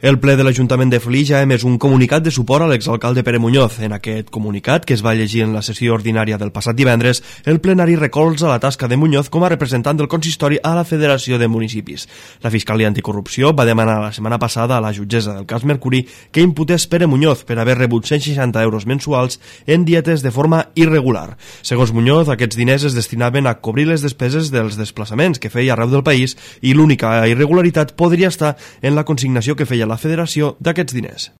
El ple de l'Ajuntament de Flix ha emès un comunicat de suport a l'exalcalde Pere Muñoz. En aquest comunicat, que es va llegir en la sessió ordinària del passat divendres, el plenari recolza la tasca de Muñoz com a representant del consistori a la Federació de Municipis. La Fiscalia Anticorrupció va demanar la setmana passada a la jutgessa del cas Mercuri que imputés Pere Muñoz per haver rebut 160 euros mensuals en dietes de forma irregular. Segons Muñoz, aquests diners es destinaven a cobrir les despeses dels desplaçaments que feia arreu del país i l'única irregularitat podria estar en la consignació que feia la Federació d'aquests diners.